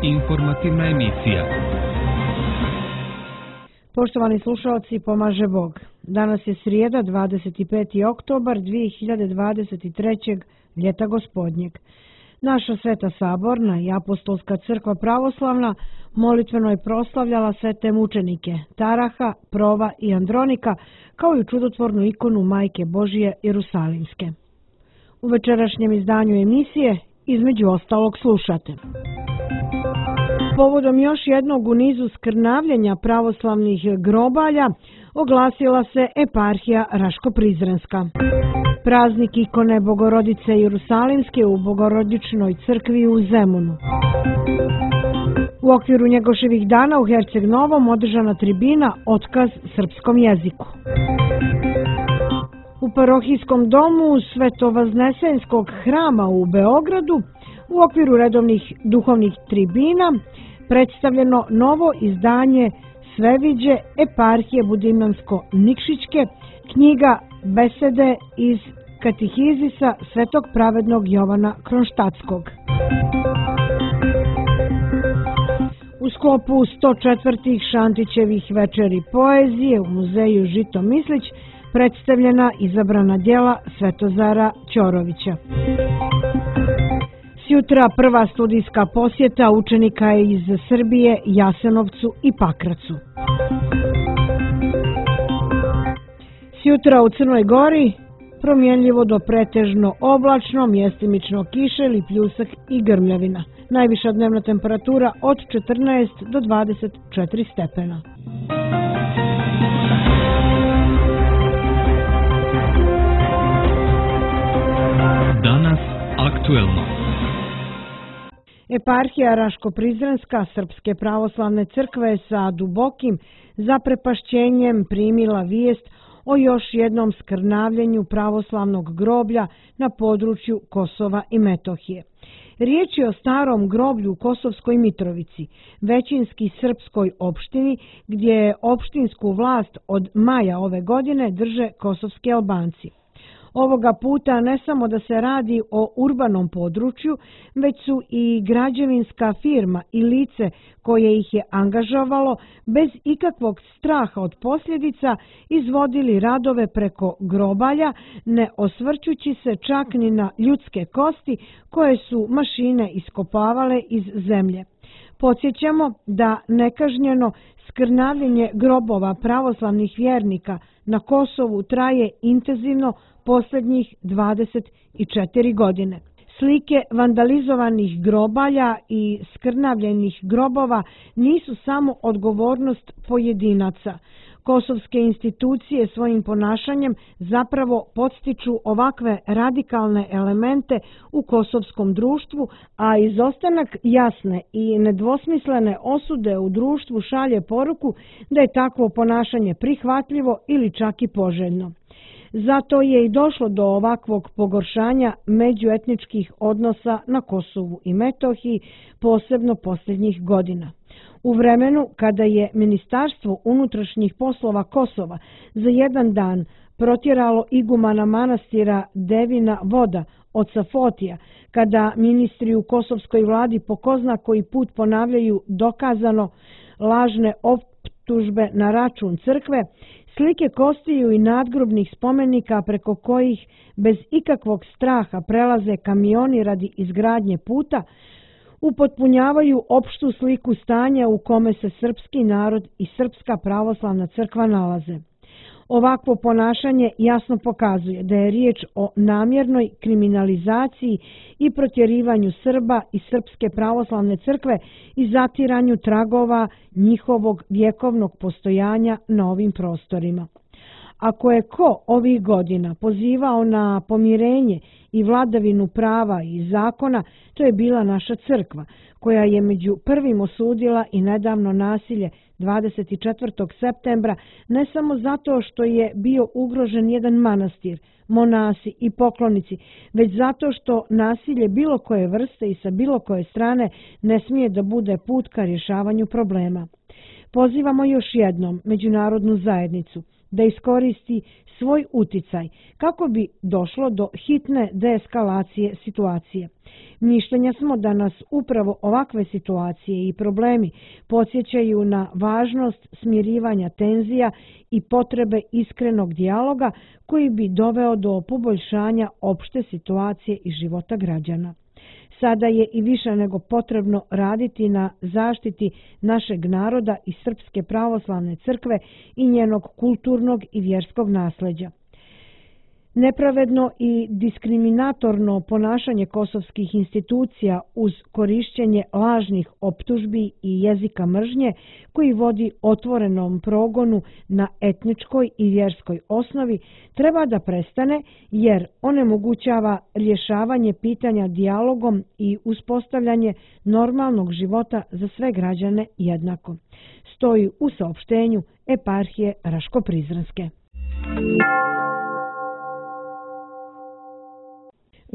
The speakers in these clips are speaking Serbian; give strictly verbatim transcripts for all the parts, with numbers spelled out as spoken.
Informativna emisija. Poštovani slušalci, pomaže Bog. Danas je srijeda, dvadeset peti oktobar dvije hiljade dvadeset trećeg. ljeta gospodnjeg. Naša Sveta Saborna i Apostolska crkva pravoslavna molitveno je proslavljala svete mučenike Taraha, Prova i Andronika, kao i čudotvornu ikonu Majke Božije Jerusalimske. U večerašnjem izdanju emisije između ostalog slušate. Povodom još jednog u nizu skrnavljenja pravoslavnih grobalja oglasila se eparhija Raško-Prizrenska. Praznik ikone Bogorodice Jerusalimske u Bogorodičnoj crkvi u Zemunu. U okviru Njegoševih dana u Herceg Novom održana tribina Otkaz srpskom jeziku. U parohijskom domu Svetovaznesenskog hrama u Beogradu u okviru redovnih duhovnih tribina predstavljeno novo izdanje Sveviđe eparhije Budimnansko-Nikšićke, knjiga Besede iz Katehizisa Svetog pravednog Jovana Kronštatskog. U sklopu sto četvrtih Šantićevih večeri poezije u muzeju Žito Mislić predstavljena izabrana djela Svetozara Ćorovića. Sjutra prva studijska posjeta učenika je iz Srbije, Jasenovcu i Pakracu. Sjutra u Crnoj Gori promjenljivo do pretežno oblačno, mjestimično kiše ili pljusak i grmljavina. Najviša dnevna temperatura od četrnaest do dvadeset četiri stepena. Danas aktuelno. Eparhija Raško-Prizrenska Srpske pravoslavne crkve sa dubokim zaprepašćenjem primila vijest o još jednom skrnavljenju pravoslavnog groblja na području Kosova i Metohije. Riječ je o starom groblju u Kosovskoj Mitrovici, većinski srpskoj opštini, gdje opštinsku vlast od maja ove godine drže kosovski Albanci. Ovoga puta ne samo da se radi o urbanom području, već su i građevinska firma i lice koje ih je angažovalo bez ikakvog straha od posljedica izvodili radove preko grobalja, ne osvrćući se čak ni na ljudske kosti koje su mašine iskopavale iz zemlje. Podsjećamo da nekažnjeno skrnavljenje grobova pravoslavnih vjernika na Kosovu traje intenzivno posljednjih dvadeset četiri godine. Slike vandalizovanih grobalja i skrnavljenih grobova nisu samo odgovornost pojedinaca. Kosovske institucije svojim ponašanjem zapravo podstiču ovakve radikalne elemente u kosovskom društvu, a izostanak jasne i nedvosmislene osude u društvu šalje poruku da je takvo ponašanje prihvatljivo ili čak i poželjno. Zato je i došlo do ovakvog pogoršanja međuetničkih odnosa na Kosovu i Metohiji, posebno posljednjih godina. U vremenu kada je Ministarstvo unutrašnjih poslova Kosova za jedan dan protjeralo igumana manastira Devina Voda oca Fotija, kada ministri u kosovskoj vladi po ko zna koji put ponavljaju dokazano lažne optužbe na račun crkve, slike kostiju i nadgrobnih spomenika preko kojih bez ikakvog straha prelaze kamioni radi izgradnje puta, upotpunjavaju opštu sliku stanja u kome se srpski narod i Srpska pravoslavna crkva nalaze. Ovakvo ponašanje jasno pokazuje da je riječ o namjernoj kriminalizaciji i protjerivanju Srba i Srpske pravoslavne crkve i zatiranju tragova njihovog vjekovnog postojanja na ovim prostorima. Ako je ko ovih godina pozivao na pomirenje i vladavinu prava i zakona, to je bila naša crkva, koja je među prvim osudila i nedavno nasilje dvadeset četvrtog septembra, ne samo zato što je bio ugrožen jedan manastir, monasi i poklonici, već zato što nasilje bilo koje vrste i sa bilo koje strane ne smije da bude put ka rješavanju problema. Pozivamo još jednom međunarodnu zajednicu da iskoristi svoj uticaj kako bi došlo do hitne deeskalacije situacije. Mišljenja smo da nas upravo ovakve situacije i problemi podsjećaju na važnost smirivanja tenzija i potrebe iskrenog dijaloga koji bi doveo do poboljšanja opšte situacije i života građana. Sada je i više nego potrebno raditi na zaštiti našeg naroda i Srpske pravoslavne crkve i njenog kulturnog i vjerskog nasleđa. Nepravedno i diskriminatorno ponašanje kosovskih institucija uz korišćenje lažnih optužbi i jezika mržnje koji vodi otvorenom progonu na etničkoj i vjerskoj osnovi treba da prestane jer onemogućava rješavanje pitanja dijalogom i uspostavljanje normalnog života za sve građane jednako. Stoji u saopštenju eparhije Raško-Prizrenske.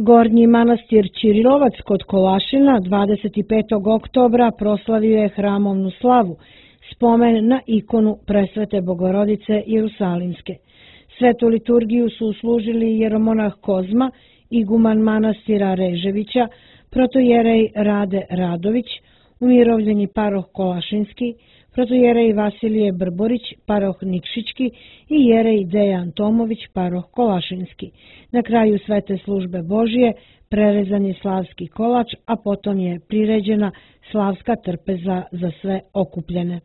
Gornji manastir Ćirilovac kod Kolašina dvadeset petog oktobra proslavio je hramovnu slavu, spomen na ikonu Presvete Bogorodice Jerusalimske. Svetu liturgiju su uslužili jeromonah Kozma, iguman manastira Reževića, protojerej Rade Radović, umirovljeni paroh Kolašinski, protojerej Vasilije Brborić, paroh Nikšićki i jerej Dejan Tomović, paroh Kolašinski. Na kraju svete službe Božije prerezan je slavski kolač, a potom je priređena slavska trpeza za sve okupljene.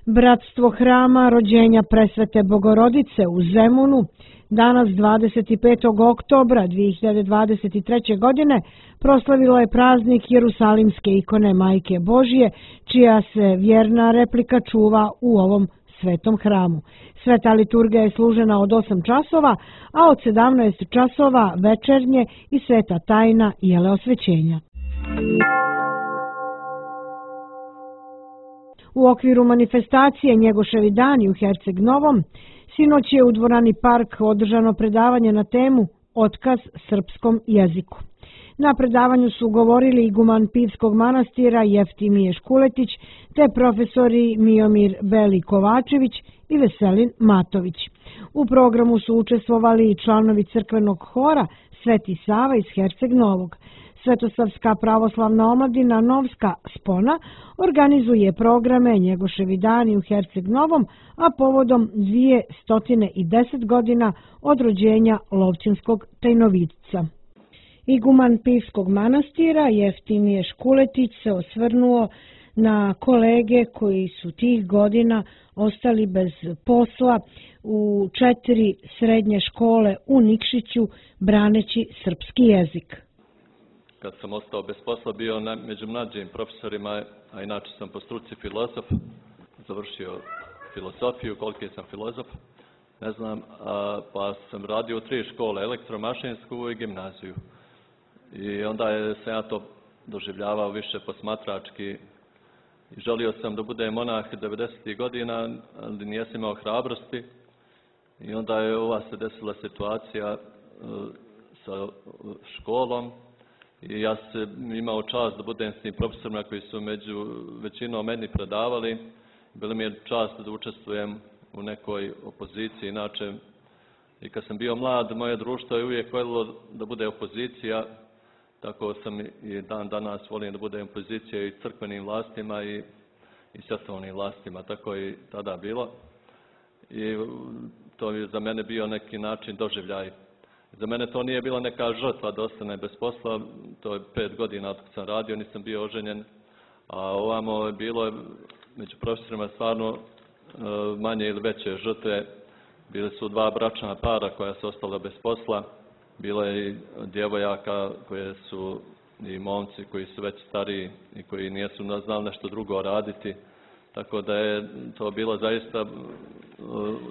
Bratstvo hrama rođenja Presvete Bogorodice u Zemunu danas dvadeset petog oktobra dvije hiljade dvadeset treće. godine proslavilo je praznik Jerusalimske ikone Majke Božije, čija se vjerna replika čuva u ovom svetom hramu. Sveta liturgija je služena od osam časova, a od sedamnaest časova večernje i sveta tajna jele osvećenja. U okviru manifestacije Njegoševi dani u Herceg Novom, sinoć je u dvorani Park održano predavanje na temu Otkaz srpskom jeziku. Na predavanju su govorili iguman Pivskog manastira Jeftimije Škuletić te profesori Miomir Beli Kovačević i Veselin Matović. U programu su učestvovali i članovi crkvenog hora Sveti Sava iz Herceg Novog. Svetosavska pravoslavna omladina Novska Spona organizuje programe Njegoševi dani u Herceg Novom, a povodom dvjesto deset godina od rođenja Lovćinskog tajnovidca. Iguman Pivskog manastira Jeftimije Škuletić se osvrnuo na kolege koji su tih godina ostali bez posla u četiri srednje škole u Nikšiću braneći srpski jezik. Kad sam ostao bez posla, bio na, među mlađim profesorima, a inače sam po struci filozof, završio filozofiju, koliki sam filozof, ne znam, a, pa sam radio u tri škole, elektromašinsku i gimnaziju. I onda je sam ja to doživljavao više posmatrački i želio sam da budem monah devedesetih godina, ali nijesam imao hrabrosti. I onda je ova se desila situacija uh, sa školom i ja sam imao čast da budem s tim profesorima koji su među većinom meni predavali. Bilo mi je čast da učestvujem u nekoj opoziciji, inače i kad sam bio mlad, moje društvo je uvijek voljelo da bude opozicija. Tako sam i dan danas volim da budem opozicija i crkvenim vlastima i, i svjetovnim vlastima. Tako je i tada bilo. I to je za mene bio neki način doživljaj. Za mene to nije bila neka žrtva da ostane bez posla. To je pet godina od kad sam radio, nisam bio oženjen. A ovamo je bilo među profesorima stvarno manje ili veće žrtve. Bile su dva bračna para koja su ostala bez posla. Bilo je i djevojaka koje su i momci koji su već stariji i koji nisu znali nešto drugo raditi. Tako da je to bilo zaista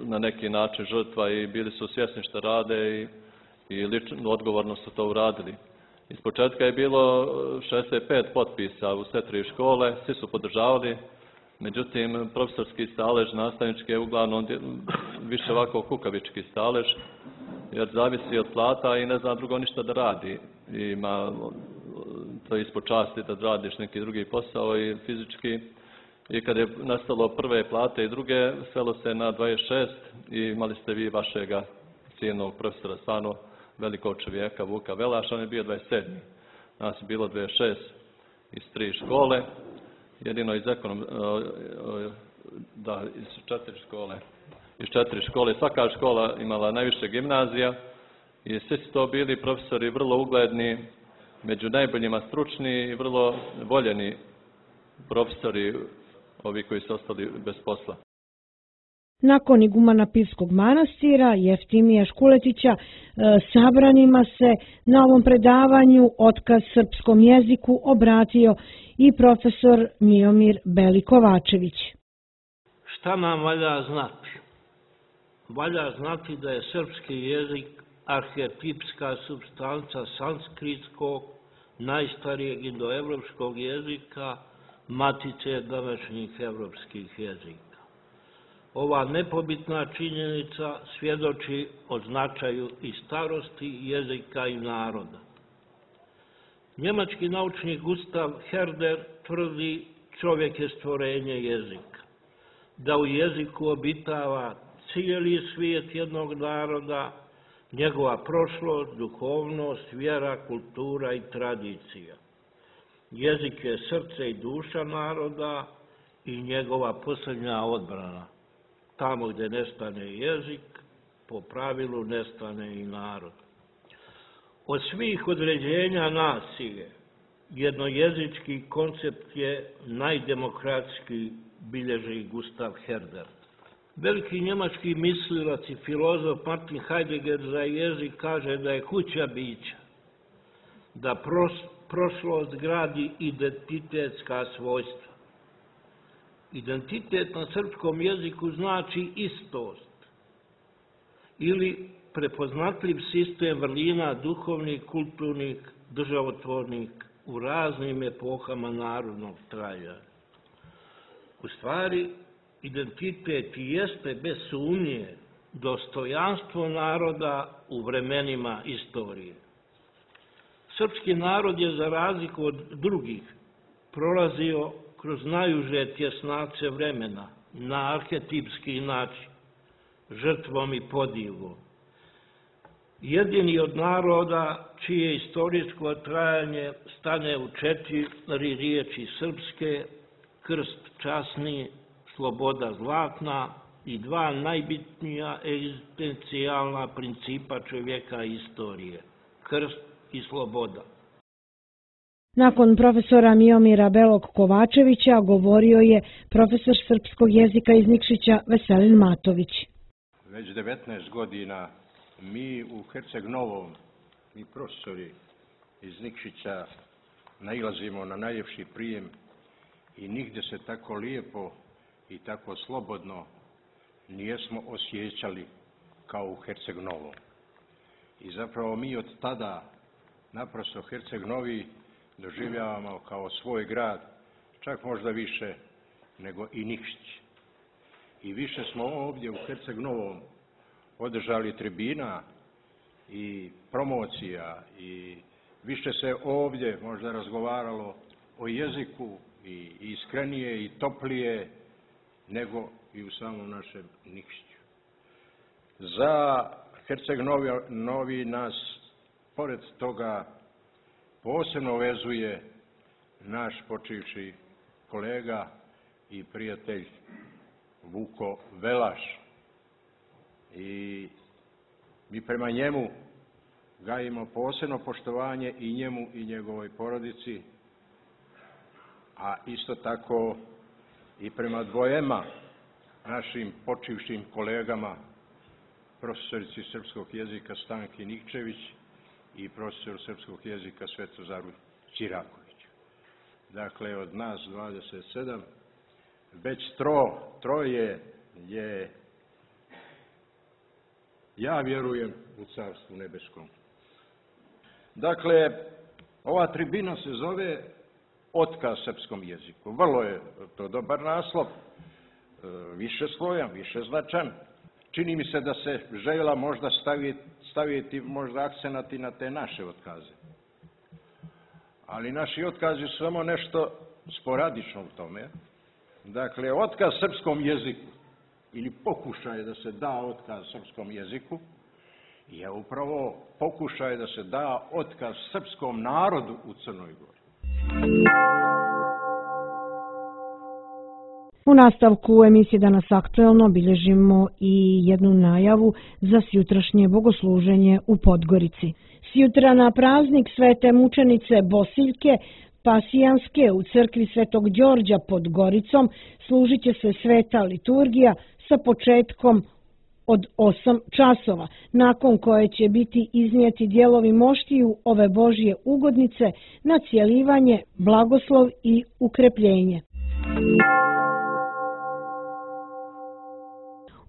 na neki način žrtva i bili su svjesni što rade i, i lično odgovorno su to uradili. Iz početka je bilo šezdeset pet potpisa u sve tri škole, svi su podržavali. Međutim, profesorski stalež, nastavnički je uglavnom više ovako kukavički stalež, jer zavisi od plata i ne zna drugo ništa da radi. I ima to ispod časti da radiš neki drugi posao i fizički. I kad je nastalo prve plate i druge, svelo se na dvadeset šest i imali ste vi vašega cijenog profesora, stvarno velikog čovjeka, Vuka Velaša, on je bio dvadeset sedmi. Nas je bilo dvadeset šest iz tri škole, jedino iz ekonom, da, iz četiri škole. Iz četiri škole, svaka škola imala najviše gimnazija i svi su to bili profesori vrlo ugledni, među najboljima stručni i vrlo voljeni profesori, ovi koji su ostali bez posla. Nakon igumana Pivskog manastira, Jeftimija Škuletića, sabranima se na ovom predavanju Otkaz srpskom jeziku obratio i profesor Miomir Beli-Kovačević. Šta nam valja znati? Valja znati da je srpski jezik arhetipska supstanca sanskritskog, najstarijeg indoevropskog jezika, matice današnjih evropskih jezika. Ova nepobitna činjenica svjedoči o značaju i starosti jezika i naroda. Njemački naučnik Gustav Herder tvrdi čovjek je stvorenje jezika, da u jeziku obitava cijeli svijet jednog naroda, njegova prošlost, duhovnost, vjera, kultura i tradicija. Jezik je srce i duša naroda i njegova posljednja odbrana. Tamo gdje nestane jezik, po pravilu nestane i narod. Od svih određenja nacije, jednojezički koncept je najdemokratski, bilježi Gustav Herder. Veliki njemački mislilac i filozof Martin Heidegger za jezik kaže da je kuća bića, da pros, prošlost gradi identitetska svojstva. Identitet na srpskom jeziku znači istost ili prepoznatljiv sistem vrlina duhovnih, kulturnih, državotvornih u raznim epohama narodnog trajanja. U stvari, identitet jeste bez sumnje dostojanstvo naroda u vremenima istorije. Srpski narod je za razliku od drugih prolazio kroz najuže tjesnace vremena na arhetipski način, žrtvom i podilom. Jedini od naroda čije istorijsko trajanje stane u četiri riječi srpske, krst časni, sloboda zlatna i dva najbitnija egzistencijalna principa čovjeka i istorije, krst i sloboda. Nakon profesora Miomira Belog-Kovačevića govorio je profesor srpskog jezika iz Nikšića Veselin Matović. Već devetnaest godina mi u Herceg Novom, mi profesori iz Nikšića, nailazimo na najljepši prijem i nigdje se tako lijepo i tako slobodno nijesmo osjećali kao u Herceg Novom. I zapravo mi od tada naprosto Herceg Novi doživljavamo kao svoj grad, čak možda više nego i Nikšić. I više smo ovdje u Herceg Novom održali tribina i promocija i više se ovdje možda razgovaralo o jeziku i iskrenije i toplije nego i u samom našem Nikšiću. Za Herceg Novi, Novi nas, pored toga, posebno vezuje naš počivši kolega i prijatelj Vuko Velaš. I mi prema njemu gajimo posebno poštovanje i njemu i njegovoj porodici, a isto tako i prema dvojema našim počivšim kolegama, profesorici srpskog jezika Stanki Nikčević i profesor srpskog jezika Svetozaru Ćirakoviću. Dakle, od nas dvadeset sedam, već tro, troje je, ja vjerujem, u Carstvu nebeskom. Dakle, ova tribina se zove Otkaz srpskom jeziku. Vrlo je to dobar naslov, više slojan, više značan. Čini mi se da se željela možda staviti, staviti možda akcenati na te naše otkaze. Ali naši otkazi su samo nešto sporadično u tome. Dakle, otkaz srpskom jeziku ili pokušaj da se da otkaz srpskom jeziku je upravo pokušaj da se da otkaz srpskom narodu u Crnoj Gori. U nastavku emisije Danas aktuelno bilježimo i jednu najavu za sjutrašnje bogosluženje u Podgorici. Sjutra na praznik Svete mučenice Bosiljke Pasijanske u crkvi Svetog Đorđa pod Goricom služit će se sveta liturgija sa početkom od osam časova, nakon koje će biti iznijeti dijelovi moštiju ove Božje ugodnice na cjelivanje, blagoslov i ukrepljenje.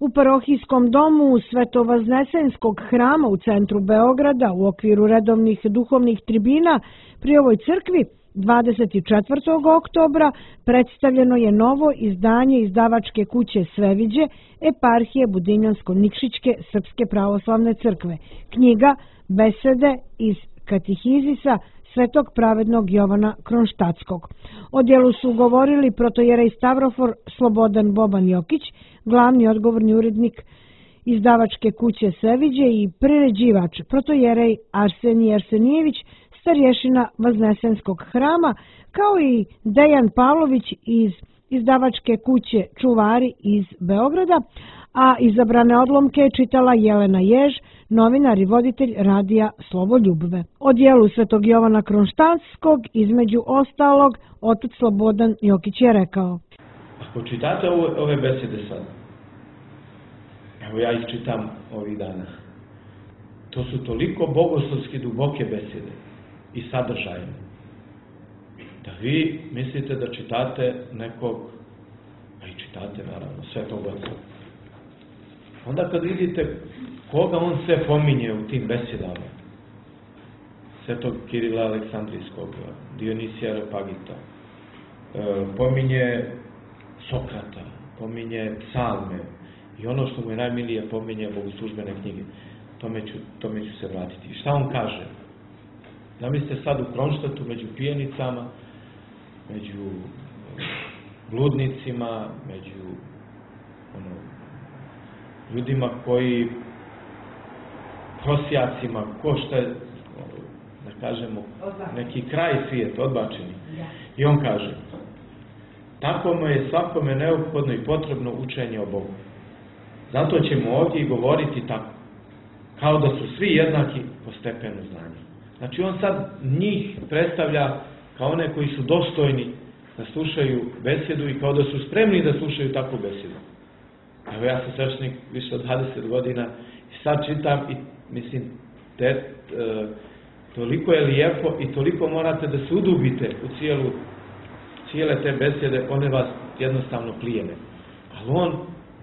U parohijskom domu Svetovaznesenskog hrama u centru Beograda u okviru redovnih duhovnih tribina pri ovoj crkvi dvadeset četvrtog oktobra predstavljeno je novo izdanje izdavačke kuće Sveviđe eparhije Budinjansko-Nikšićke Srpske pravoslavne crkve, knjiga Besede iz katehizisa Svetog pravednog Jovana Kronštatskog. O djelu su govorili protojerej Stavrofor Slobodan Boban Jokić, glavni odgovorni urednik izdavačke kuće Sveviđe i priređivač protojerej Arsenij Arsenijević, starješina Vaznesenskog hrama, kao i Dejan Pavlović iz izdavačke kuće Čuvari iz Beograda, a izabrane odlomke čitala Jelena Jež, novinar i voditelj radija Slovo Ljubve. O djelu Svetog Jovana Kronštatskog, između ostalog, otac Slobodan Jokić je rekao: Ako čitate ove, ove besede sad, evo ja ih čitam ovih dana, to su toliko bogoslovski duboke besede i sadržajne, da vi mislite da čitate nekog, a i čitate naravno, Svetog Oca. Onda kad vidite koga on sve pominje u tim besedama, Svetog Kirila Aleksandrijskog, Dionisija Areopagita, pominje Sokrata, pominje psalme i ono što mu je najmilije pominje bogoslužbene knjige, tome ću, tome ću se vratiti. Šta on kaže? Zamislite sad u Kronštatu među pijenicama, među bludnicima, među ono, ljudima koji prosjacima, ko šta je, da kažemo, neki kraj svijeta, odbačeni. I on kaže, tako mu je svakome neophodno i potrebno učenje o Bogu. Zato ćemo ovdje i govoriti tako, kao da su svi jednaki po stepenu znanja. Znači on sad njih predstavlja kao one koji su dostojni da slušaju besedu i kao da su spremni da slušaju takvu besedu. Evo ja sam sveštenik više od dvadeset godina i sad čitam i mislim, te, e, toliko je lijepo i toliko morate da se udubite u cijelu, cijele te besede, one vas jednostavno plijene. Ali on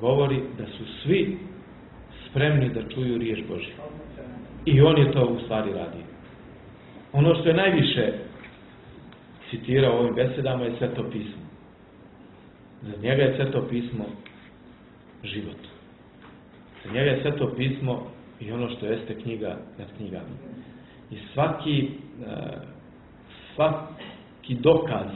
govori da su svi spremni da čuju riječ Božju. I on je to u stvari radio. Ono što je najviše citirao u ovim besedama je Sveto pismo. Za njega je Sveto pismo život. Za njega je Sveto pismo i ono što jeste knjiga nad knjigama. I svaki, svaki dokaz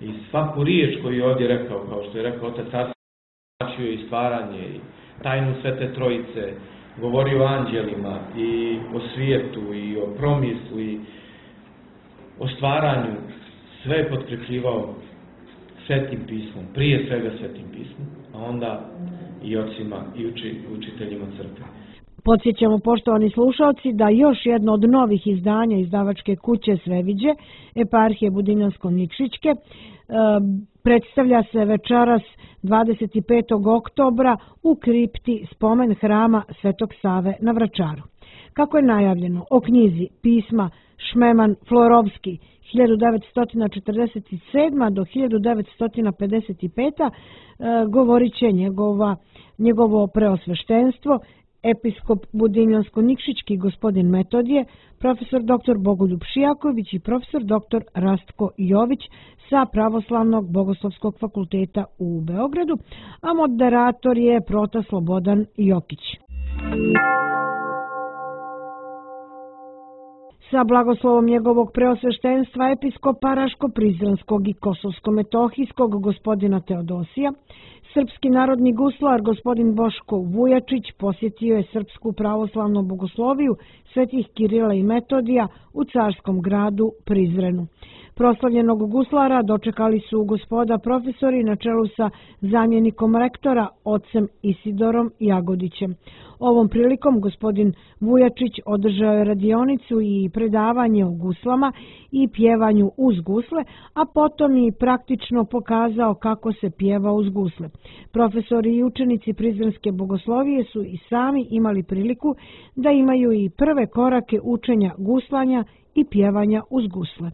i svaku riječ koju je ovdje rekao, kao što je rekao otac Arsenij, i stvaranje, i tajnu Svete Trojice, govori o anđelima i o svijetu i o promislu i o stvaranju, sve je potkrepljivao Svetim pismom, prije svega Svetim pismom, a onda i ocima i uči, učiteljima crkve. Podsjećamo, poštovani slušalci, da još jedno od novih izdanja izdavačke kuće Sveviđe, eparhije Budinjansko-Nikšićke, predstavlja se večeras dvadeset petog oktobra u kripti spomen hrama Svetog Save na Vračaru. Kako je najavljeno, o knjizi pisma Šmeman Florovski hiljadu devetsto četrdeset sedma do hiljadu devetsto pedeset peta govorit će njegova, njegovo preosveštenstvo, episkop Budinjansko-Nikšićki gospodin Metodije, profesor doktor Bogoljub Šijaković i profesor doktor Rastko Jović sa Pravoslavnog bogoslovskog fakulteta u Beogradu, a moderator je prota Slobodan Jokić. Sa blagoslovom njegovog preosveštenstva episkopa Raško-Prizrenskog i Kosovsko-Metohijskog gospodina Teodosija, srpski narodni guslar gospodin Boško Vujačić posjetio je Srpsku pravoslavnu bogosloviju svetih Kirila i Metodija u carskom gradu Prizrenu. Proslavljenog guslara dočekali su gospoda profesori na čelu sa zamjenikom rektora, ocem Isidorom Jagodićem. Ovom prilikom gospodin Vujačić održao je radionicu i predavanje o guslama i pjevanju uz gusle, a potom i praktično pokazao kako se pjeva uz gusle. Profesori i učenici Prizrenske bogoslovije su i sami imali priliku da imaju i prve korake učenja guslanja i pjevanja uz gusle.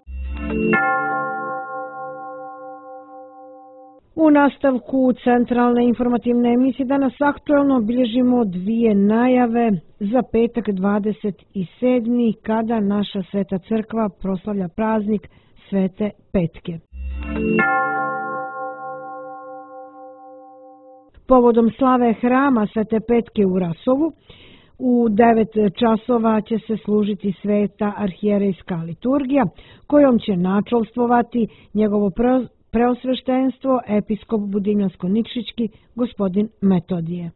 U nastavku centralne informativne emisije danas aktuelno bilježimo dvije najave za petak dvadeset sedmog kada naša Sveta crkva proslavlja praznik Svete Petke. Povodom slave hrama Svete Petke u Rasovu, u devet časova će se služiti sveta arhijerejska liturgija, kojom će načelstvovati njegovo preosveštenstvo episkop Budimljansko-Nikšićki gospodin Metodije.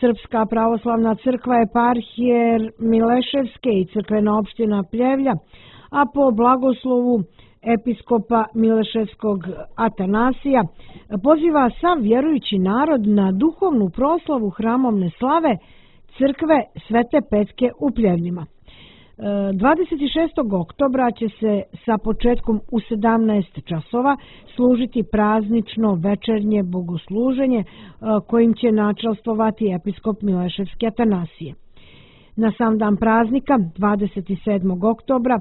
Srpska pravoslavna crkva eparhije Mileševske i crkvena opština Pljevlja, a po blagoslovu episkopa Mileševskog Atanasija, poziva sav vjerujući narod na duhovnu proslavu hramovne slave crkve Svete Petke u Pljevljima. dvadeset šestog oktobra će se sa početkom u sedamnaest časova služiti praznično večernje bogosluženje kojim će načelstvovati episkop Mileševski Atanasije. Na sam dan praznika, dvadeset sedmog oktobra,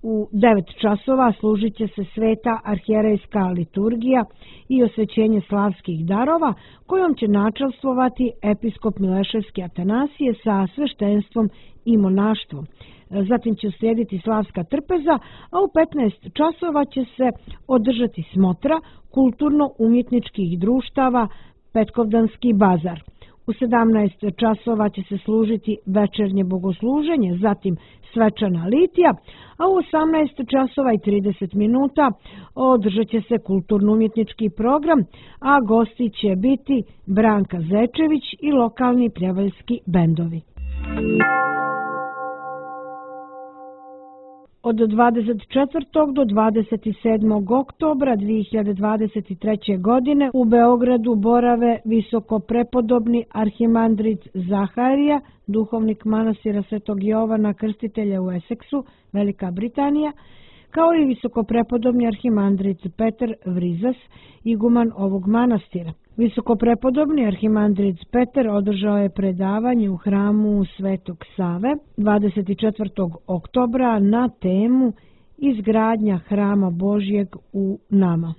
u devet časova služit će se sveta arhijerejska liturgija i osvećenje slavskih darova, kojom će načelstvovati episkop Mileševski Atanasije sa sveštenstvom i monaštvom. Zatim će uslijediti slavska trpeza, a u petnaest časova će se održati smotra kulturno-umjetničkih društava Petkovdanski bazar. U sedamnaest časova će se služiti večernje bogosluženje, zatim svečana litija, a u osamnaest časova i trideset minuta održat će se kulturno-umjetnički program, a gosti će biti Branka Zečević i lokalni pljevaljski bendovi. Od dvadeset četvrtog do dvadeset sedmog oktobra dvije hiljade dvadeset treće. godine u Beogradu borave visokoprepodobni arhimandrit Zaharija, duhovnik manastira Svetog Jovana Krstitelja u Eseksu, Velika Britanija, kao i visokoprepodobni arhimandrit Petar Vrizas, iguman ovog manastira. Visokoprepodobni arhimandrit Petar održao je predavanje u hramu Svetog Save dvadeset četvrtog oktobra na temu Izgradnja hrama Božjeg u nama.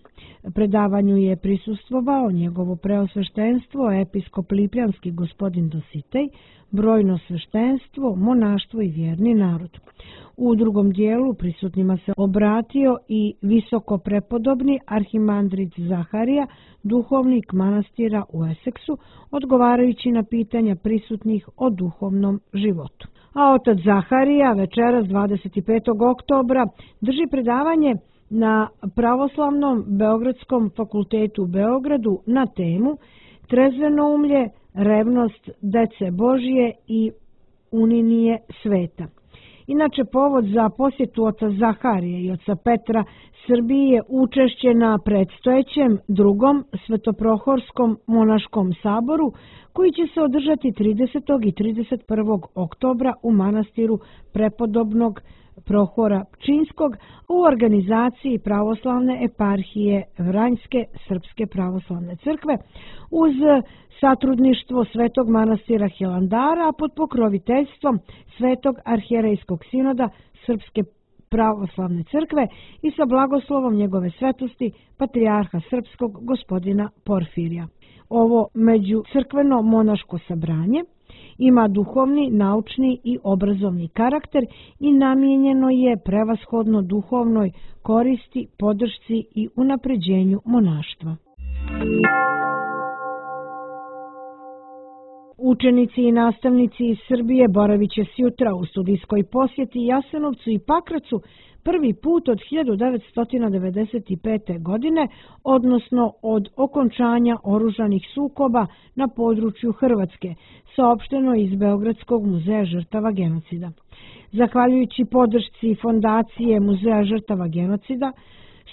Predavanju je prisustvovao njegovo preosveštenstvo, episkop Lipljanski gospodin Dositej, brojno sveštenstvo, monaštvo i vjerni narod. U drugom dijelu prisutnima se obratio i visokoprepodobni arhimandrit Zaharija, duhovnik manastira u Eseksu, odgovarajući na pitanja prisutnih o duhovnom životu. A otac Zaharija večeras dvadeset petog oktobra drži predavanje na Pravoslavnom Beogradskom fakultetu u Beogradu na temu Trezvenoumlje, revnost dece Božije i uninije sveta. Inače, povod za posjetu oca Zaharije i oca Petra Srbiji je učešće na predstojećem drugom Svetoprohorskom monaškom saboru, koji će se održati tridesetog i trideset prvog oktobra u manastiru prepodobnog Prohora Pčinskog u organizaciji pravoslavne eparhije Vranjske Srpske pravoslavne crkve uz satrudništvo Svetog manastira Hilandara pod pokroviteljstvom Svetog arhijerejskog sinoda Srpske pravoslavne crkve i sa blagoslovom njegove svetosti patrijarha srpskog gospodina Porfirija. Ovo međucrkveno monaško sabranje ima duhovni, naučni i obrazovni karakter i namijenjeno je prevashodno duhovnoj koristi, podršci i unapređenju monaštva. Učenici i nastavnici iz Srbije boravit će sjutra u studijskoj posjeti Jasenovcu i Pakracu prvi put od hiljadu devetsto devedeset pete. godine, odnosno od okončanja oružanih sukoba na području Hrvatske, saopšteno iz Beogradskog muzeja žrtava genocida. Zahvaljujući podršci Fondacije Muzeja žrtava genocida,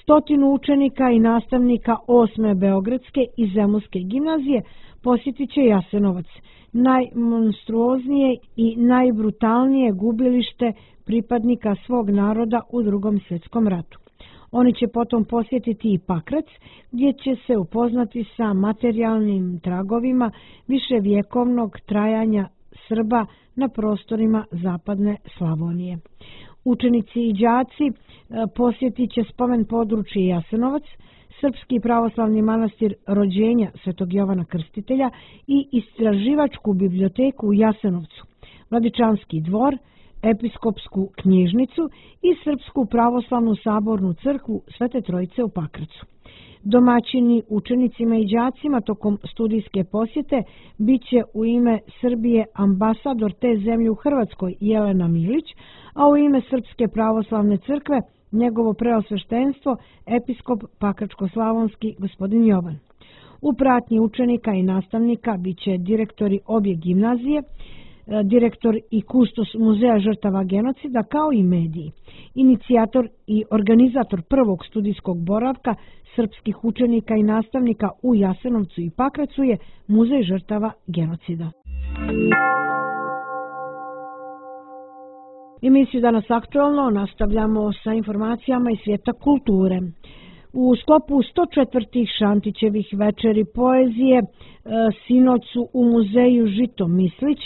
stotinu učenika i nastavnika osme Beogradske i Zemunske gimnazije posjetit će Jasenovac, najmonstruoznije i najbrutalnije gubilište pripadnika svog naroda u Drugom svjetskom ratu. Oni će potom posjetiti i Pakrac, gdje će se upoznati sa materijalnim tragovima viševjekovnog trajanja Srba na prostorima zapadne Slavonije. Učenici i đaci posjetit će spomen područje Jasenovac, Srpski pravoslavni manastir rođenja Svetog Jovana Krstitelja i istraživačku biblioteku u Jasenovcu, Vladičanski dvor, episkopsku knjižnicu i Srpsku pravoslavnu sabornu crkvu Svete Trojice u Pakracu. Domaćini učenicima i đacima tokom studijske posjete bit će u ime Srbije ambasador te zemlje u Hrvatskoj Jelena Milić, a u ime Srpske pravoslavne crkve njegovo preosveštenstvo episkop Pakračko-slavonski gospodin Jovan. U pratnji učenika i nastavnika bit će direktori obje gimnazije, direktor i kustos Muzeja žrtava genocida, kao i mediji. Inicijator i organizator prvog studijskog boravka srpskih učenika i nastavnika u Jasenovcu i Pakracu je Muzej žrtava genocida. Emisiju Danas aktualno nastavljamo sa informacijama iz svijeta kulture. U sklopu sto četvrtih Šantićevih večeri poezije sinoć su u muzeju Žito Mislić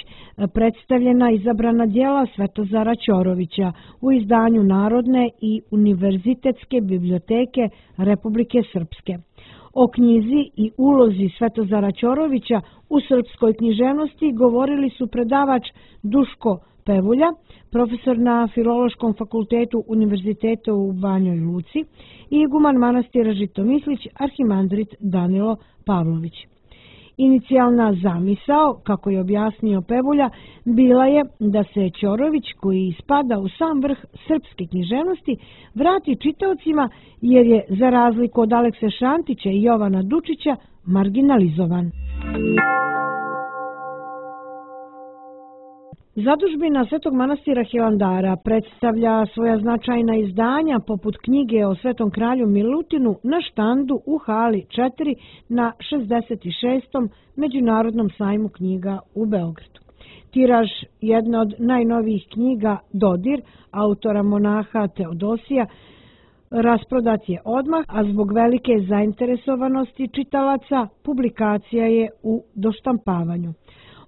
predstavljena izabrana djela Svetozara Ćorovića u izdanju Narodne i univerzitetske biblioteke Republike Srpske. O knjizi i ulozi Svetozara Ćorovića u srpskoj književnosti govorili su predavač Duško Pevulja, profesor na Filološkom fakultetu Univerziteta u Banjoj Luci, i iguman manastira Žito Mislić, arhimandrit Danilo Pavlović. Inicijalna zamisao, kako je objasnio Pevulja, bila je da se Ćorović, koji spada u sam vrh srpske književnosti, vrati čitaocima jer je, za razliku od Alekse Šantića i Jovana Dučića, marginalizovan. Zadužbina Svetog manastira Hilandara predstavlja svoja značajna izdanja poput knjige o Svetom kralju Milutinu na štandu u hali četiri na šezdeset šestom Međunarodnom sajmu knjiga u Beogradu. Tiraž jedne od najnovijih knjiga Dodir, autora monaha Teodosija, rasprodat je odmah, a zbog velike zainteresovanosti čitalaca publikacija je u doštampavanju.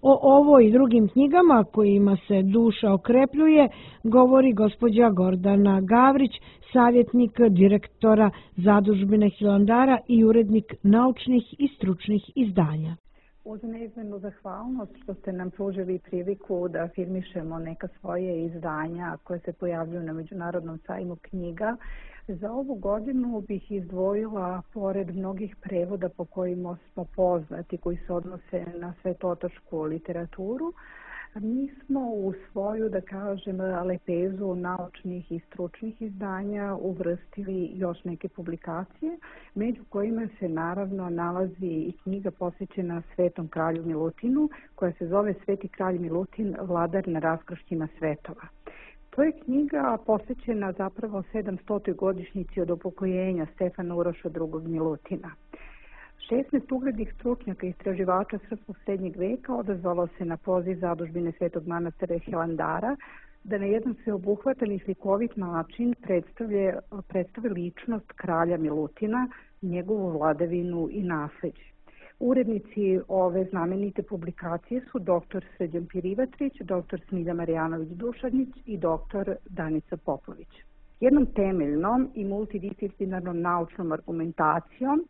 O ovo i drugim knjigama kojima se duša okrepljuje govori gospođa Gordana Gavrić, savjetnik direktora Zadužbine Hilandara i urednik naučnih i stručnih izdanja. Uz neizmjernu zahvalnost što ste nam pružili priliku da afirmišemo neka svoje izdanja koje se pojavljuju na Međunarodnom sajmu knjiga, za ovu godinu bih izdvojila, pored mnogih prevoda po kojima smo poznati, koji se odnose na svetotočku literaturu, mi smo u svoju, da kažem, lepezu naučnih i stručnih izdanja uvrstili još neke publikacije, među kojima se naravno nalazi i knjiga posvećena Svetom kralju Milutinu, koja se zove Sveti kralj Milutin, vladar na raskršćima svetova. To je knjiga posvećena zapravo sedamstotoj godišnjici od upokojenja Stefana Uroša drugog Milutina. šesnaest uglednih stručnjaka i istraživača srpskog srednjeg veka odazvalo se na poziv Zadužbine Svetog manastira Hilandara da na jedan sveobuhvatan i slikovit način predstave, predstave ličnost kralja Milutina, njegovu vladavinu i nasleđe. Urednici ove znamenite publikacije su doktor Srđan Pirivatrić, doktor Smilja Marijanović-Dušanić i doktor Danica Popović. Jednom temeljnom i multidisciplinarnom naučnom argumentacijom,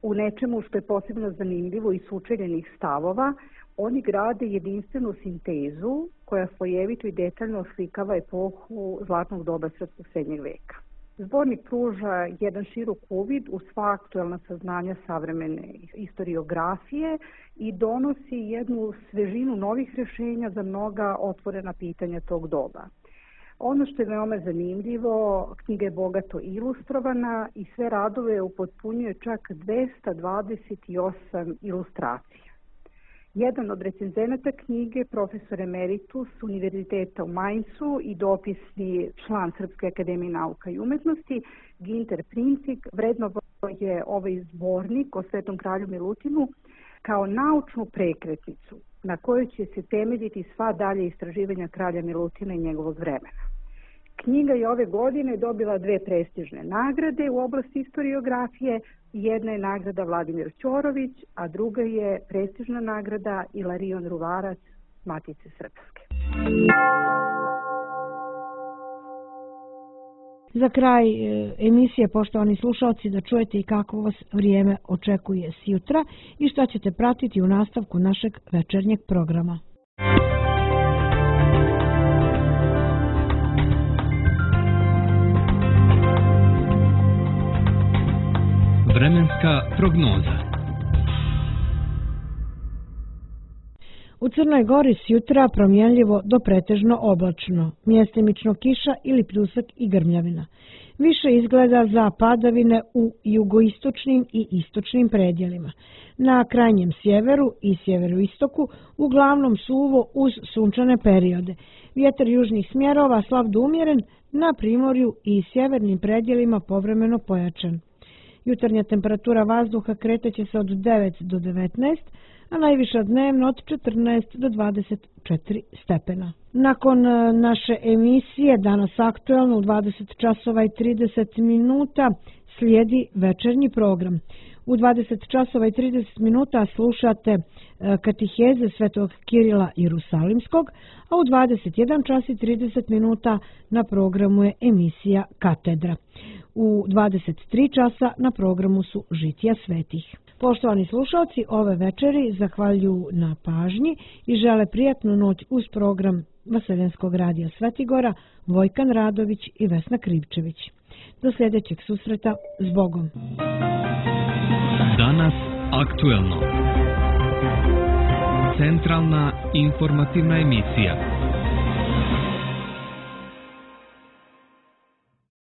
u nečemu što je posebno zanimljivo i sučeljenih stavova, oni grade jedinstvenu sintezu koja slojevito i detaljno oslikava epohu zlatnog doba srpskog srednjeg veka. Zbornik pruža jedan širok uvid u sva aktuelna saznanja savremene istoriografije i donosi jednu svežinu novih rješenja za mnoga otvorena pitanja tog doba. Ono što je veoma zanimljivo, knjiga je bogato ilustrovana i sve radove upotpunjuje čak dvesta dvadeset osam ilustracija. Jedan od recenzenata knjige, profesor emeritus Univerziteta u Mainzu i dopisni član Srpske akademije nauka i umetnosti, Ginter Princik, vrednovao je ovaj zbornik o Svetom kralju Milutinu kao naučnu prekretnicu na kojoj će se temeljiti sva dalje istraživanja kralja Milutina i njegovog vremena. Knjiga je ove godine dobila dve prestižne nagrade u oblasti istoriografije. Jedna je nagrada Vladimir Ćorović, a druga je prestižna nagrada Ilarion Ruvarac Matice Srpske. Za kraj emisije, poštovani slušalci, da čujete i kako vas vrijeme očekuje sjutra i šta ćete pratiti u nastavku našeg večernjeg programa. Vremenska prognoza. U Crnoj Gori sjutra promjenljivo do pretežno oblačno, mjestimično kiša ili pljusak i grmljavina. Više izgleda za padavine u jugoistočnim i istočnim predjelima. Na krajnjem sjeveru i sjeveroistoku uglavnom suvo uz sunčane periode. Vjetar južnih smjerova slab do umjeren, na primorju i sjevernim predjelima povremeno pojačan. Jutarnja temperatura vazduha kreteće se od devet do devetnaest, a najviša dnevno od četrnaest do dvadeset četiri stepena. Nakon naše emisije Danas aktuelno u dvadeset časova i trideset minuta slijedi večernji program. U dvadeset časova i trideset minuta slušate katiheze Svetog Kirila Jerusalimskog, a u dvadeset jedan čas i trideset minuta na programu je emisija Katedra. U dvadeset tri časa na programu su Žitija svetih. Poštovani slušalci, ove večeri zahvaljuju na pažnji i žele prijatnu noć uz program Vaseljenskog radija Svetigora, Vojkan Radović i Vesna Krivčević. Do sljedećeg susreta, s Bogom. Danas aktuelno. Centralna informativna emisija.